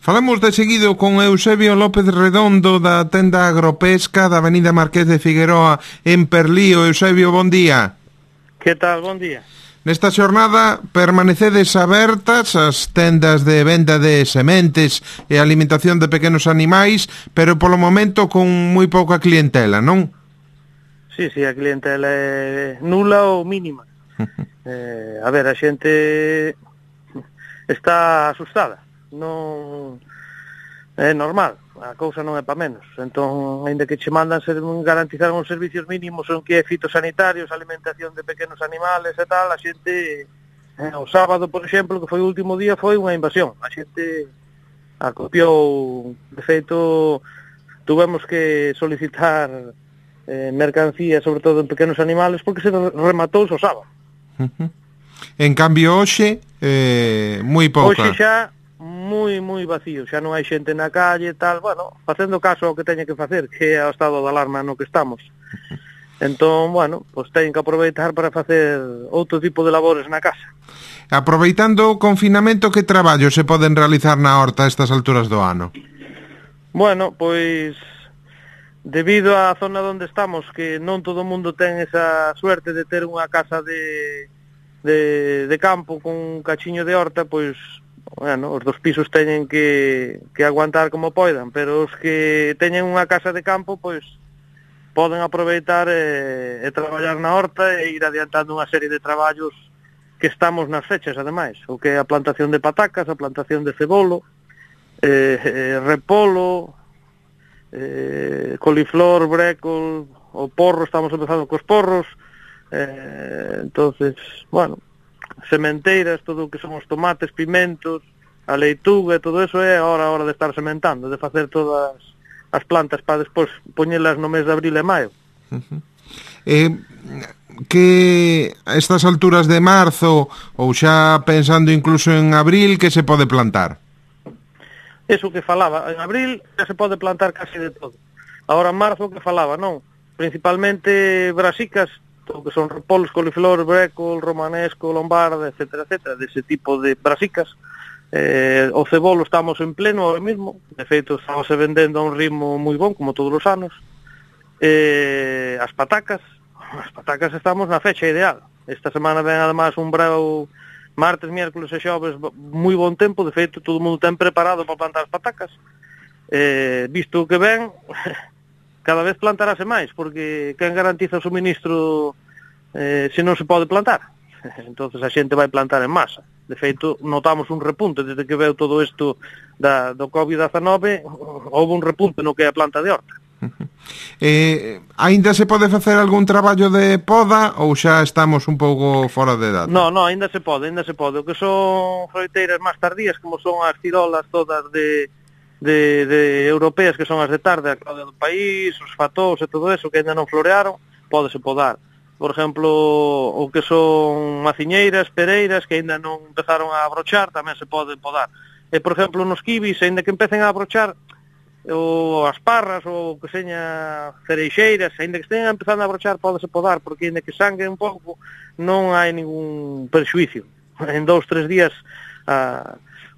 Falamos de seguido con Eusebio López Redondo da tenda Agropesca da Avenida Marqués de Figueroa en Perlío. Eusebio, bon día. Que tal? Bon día. Nesta xornada permanecedes abertas as tendas de venda de sementes e alimentación de pequenos animais, pero polo momento con moi pouca clientela, non? Sí, a clientela é nula ou mínima. A ver, a xente está asustada. Non é normal, a cousa non é pa menos. Entón, aínda que che mandan garantizar uns servicios mínimos son que é fitosanitarios, alimentación de pequenos animales e tal, a xente o sábado, por exemplo, que foi o último día, foi unha invasión. A xente acopiou, de feito, tuvemos que solicitar mercancía, sobre todo en pequenos animales, porque se rematou o sábado. En cambio, hoxe, moi pouca. Hoxe xa moi vacío, xa non hai xente na calle e tal, bueno, facendo caso ao que teña que facer, que é o estado de alarma no que estamos. Entón, bueno, pois teñen que aproveitar para facer outro tipo de labores na casa. Aproveitando o confinamento, que traballo se poden realizar na horta a estas alturas do ano? Bueno, pois debido á zona onde estamos, que non todo o mundo ten esa suerte de ter unha casa de campo con un cachiño de horta, pois bueno, os dos pisos teñen que aguantar como poidan, pero os que teñen unha casa de campo, pois poden aproveitar e traballar na horta e ir adiantando unha serie de traballos que estamos nas fechas, ademais, o que é a plantación de patacas, a plantación de cebolo, repolo, coliflor, brécol, o porro, estamos empezando cos porros, entonces, bueno, sementeiras, todo o que son os tomates, pimentos, a leituga, todo eso é a hora de estar sementando, de facer todas as plantas para despois poñelas no mes de abril e maio. Que a estas alturas de marzo, ou xa pensando incluso en abril, que se pode plantar? Eso que falaba, en abril xa se pode plantar casi de todo. Agora en marzo que falaba, non? Principalmente brasicas, todo que son repolos, coliflor, brécol, romanesco, lombarda, etcétera, dese tipo de brasicas. O cebolo estamos en pleno ahora mismo, de feito estamos vendendo a un ritmo moi bon, como todos os anos. As patacas estamos na fecha ideal. Esta semana ven además un breu martes, miércoles e xoves moi bon tempo, de feito todo o mundo ten preparado para plantar as patacas. Visto o que ven, cada vez plantarase máis, porque quen garantiza o suministro se non se pode plantar? Entonces a xente vai plantar en masa. De feito, notamos un repunte desde que veu todo isto do COVID-19, houve un repunte no que é a planta de horta. Ainda se pode facer algún traballo de poda ou xa estamos un pouco fora de data? No, ainda se pode. O que son froiteiras máis tardías, como son as cirolas todas de europeas, que son as de tarde, a Claudia do País, os fatós e todo eso, que ainda non florearon, pódese podar. Por exemplo, o que son maciñeiras, pereiras, que ainda non empezaron a abrochar, tamén se poden podar. E, por exemplo, nos kibis, ainda que empecen a abrochar, ou as parras, ou que seña cereixeiras, ainda que estén empezando a abrochar, pódese podar, porque ainda que sangre un pouco, non hai ningún perxuicio. En 2-3 días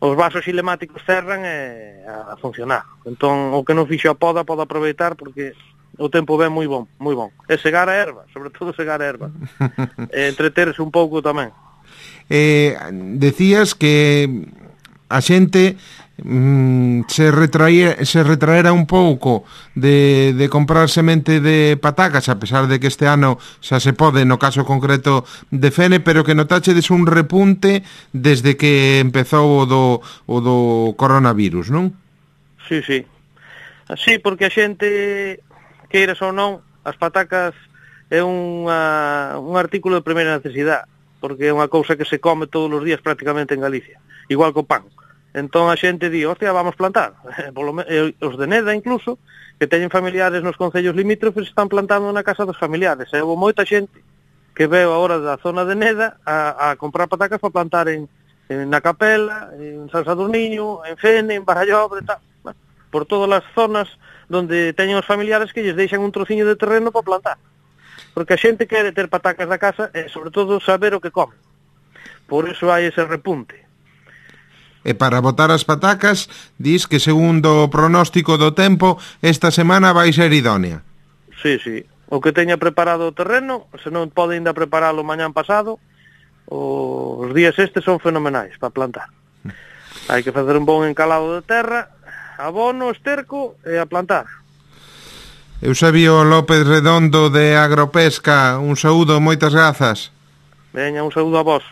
os vasos xilemáticos cerran a funcionar. Entón, o que non fixo a poda, pode aproveitar, porque o tempo ven moi bon. E segar a erva, sobre todo segar a erva. Entreterse un pouco tamén. Decías que a xente se retraera un pouco de comprar semente de patacas, a pesar de que este ano xa se pode, no caso concreto de Fene, pero que notachedes un repunte desde que empezou o do coronavirus, non? Sí, porque a xente, queiras ou non, as patacas é un artículo de primeira necesidade, porque é unha cousa que se come todos os días prácticamente en Galicia, igual que o pan. Entón a xente di, hostia, vamos plantar. Os de Neda incluso, que teñen familiares nos concellos limítrofes, están plantando na casa dos familiares. E houve moita xente que veo agora da zona de Neda a comprar patacas para plantar na Capela, en San Sadurniño, en Fene, en Barallobre, tal. Bueno, por todas as zonas donde teñen os familiares que lles deixan un trociño de terreno para plantar. Porque a xente quere ter patacas da casa e, sobre todo, saber o que come. Por iso hai ese repunte. E para botar as patacas, dis que segundo o pronóstico do tempo, esta semana vai ser idónea. Sí, sí. O que teña preparado o terreno, se non pode ainda preparalo mañán pasado, os días estes son fenomenais para plantar. Hai que facer un bon encalado de terra, abono, esterco e a plantar. Eusebio López Redondo de Agropesca, un saúdo, moitas grazas. Veña, un saúdo a vos.